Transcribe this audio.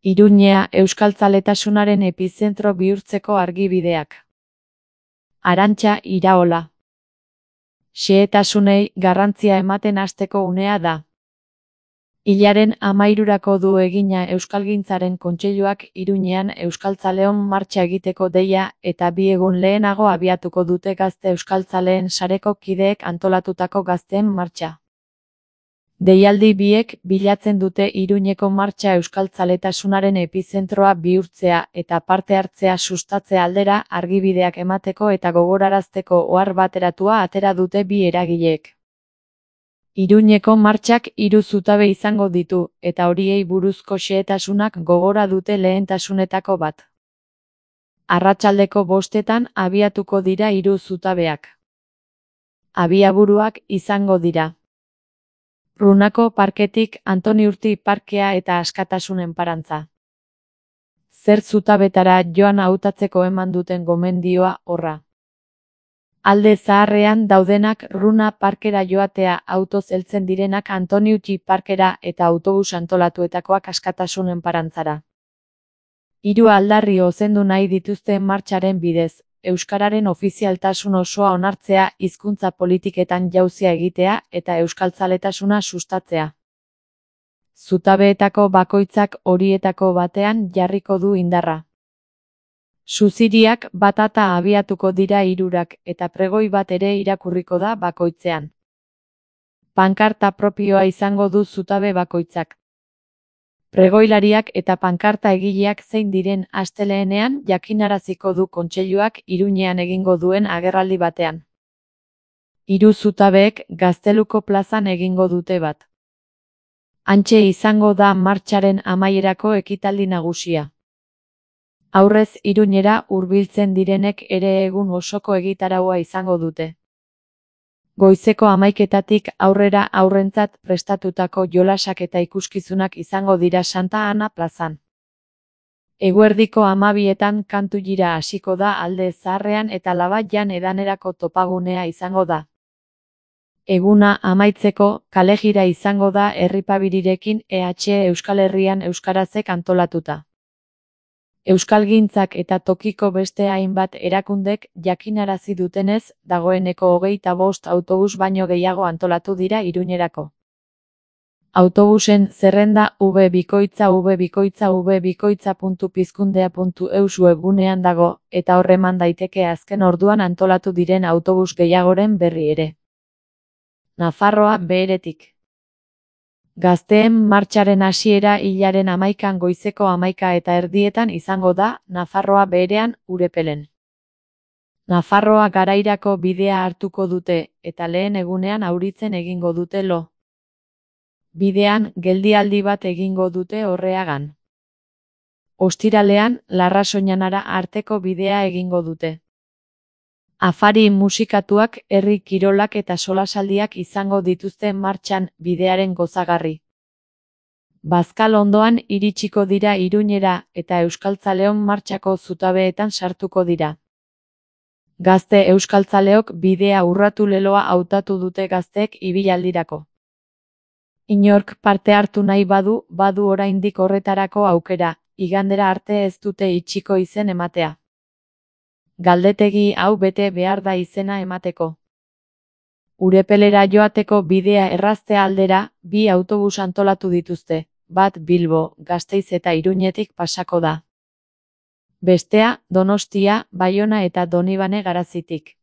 Iruñea euskaltzaletasunaren epizentro bihurtzeko argibideak. Arantxa Iraola. Xehetasunei garrantzia ematen hasteko unea da. Hilaren 13rako du egina Euskalgintzaren Kontseiluak Iruñean euskaltzaleon martxa egiteko deia eta 2 egun lehenago abiatuko dute Gazte Euskaltzaleen sareko kideek antolatutako Gazteen Martxa. Deialdi biek bilatzen dute Iruñeko martxa euskaltzaletasunaren epizentroa bihurtzea eta parte hartzea sustatze aldera argibideak emateko eta gogorarazteko ohar bateratua atera dute bi eragileek. Iruñeko martxak 3 zutabe izango ditu, eta horiei buruzko xehetasunak gogora dute lehentasunetako bat. Arratsaldeko 5etan abiatuko dira 3 zutabeak. Abiaburuak izango dira: Runako parketik Antoni Urti parkea eta Askatasunen parantza. Zer zutabetara joan hautatzeko eman duten gomendioa horra. Alde zaharrean daudenak Runa parkera joatea, autoz heltzen direnak Antoni Urti parkera eta autobus antolatuetakoak Askatasunen parantzara. 3 aldarri ozendu nahi dituzte martxaren bidez: euskararen ofizialtasun osoa onartzea, hizkuntza politiketan jauzia egitea eta euskaltzaletasuna sustatzea. Zutabeetako bakoitzak horietako batean jarriko du indarra. Suziriak batata abiatuko dira 3ak eta pregoi bat ere irakurriko da bakoitzean. Pankarta propioa izango du zutabe bakoitzak. Pregoilariak eta pankarta egileak zein diren astelehenean jakinaraziko du Kontseiluak Iruñean egingo duen agerraldi batean. 3 zutabeek Gazteluko plazan egingo dute bat. Hantxe izango da martxaren amaierako ekitaldi nagusia. Aurrez Iruñera hurbiltzen direnek ere egun osoko egitaraua izango dute. Goizeko 11etatik aurrera haurrentzat prestatutako jolasak eta ikuskizunak izango dira Santa Ana plazan. Eguerdiko 12etan kantu jira hasiko da Alde Zaharrean eta Labaian edanerako topagunea izango da. Eguna amaitzeko kalejira izango da Herripabirirekin Euskal Herrian euskarazek antolatuta. Euskalgintzak eta tokiko beste hainbat erakundek jakinarazi dutenez, dagoeneko 25 autobus baino gehiago antolatu dira Iruñerako. Autobusen zerrenda www.vbikoitza.pizkundea.eus webgunean dago, eta hor eman daiteke azken orduan antolatu diren autobus gehiagoren berri ere. Nafarroa Beheretik. Gazteen martxaren hasiera hilaren 11an goizeko 11:30 izango da, Nafarroa Beherean, Urepelen. Nafarroa Garairako bidea hartuko dute, eta lehen egunean Auritzen egingo dute lo. Bidean, geldialdi bat egingo dute Orreagan. Ostiralean, Larrasoñanara arteko bidea egingo dute. Afari musikatuak, herri kirolak eta solasaldiak izango dituzte martxan, bidearen gozagarri. Bazkal ondoan iritsiko dira Iruñera eta euskaltzaleon martxako zutabeetan sartuko dira. Gazte euskaltzaleok bidea urratu leloa hautatu dute gazteek ibilaldirako. Inork parte hartu nahi badu oraindik horretarako aukera, igandera arte ez dute itxiko izen ematea. Galdetegi hau bete behar da izena emateko. Urepelera joateko bidea errazte aldera, 2 autobus antolatu dituzte, bat Bilbo, Gasteiz eta Iruñetik pasako da. Bestea, Donostia, Baiona eta Donibane Garazitik.